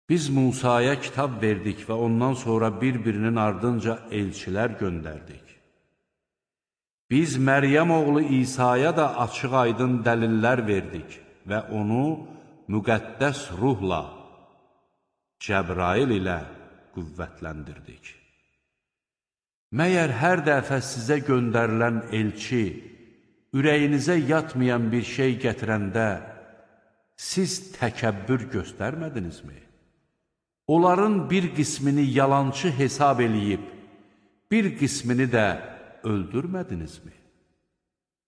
Biz Musaya kitab verdik və ondan sonra bir-birinin ardınca elçilər göndərdik. Biz Məryəm oğlu İsa'ya da açıq-aydın dəlillər verdik və onu müqəddəs ruhla, Cəbrail ilə qüvvətləndirdik. Məyər hər dəfə sizə göndərilən elçi, ürəyinizə yatmayan bir şey gətirəndə, siz təkəbbür göstərmədinizmi? Onların bir qismini yalançı hesab eləyib, bir qismini də öldürmədinizmi?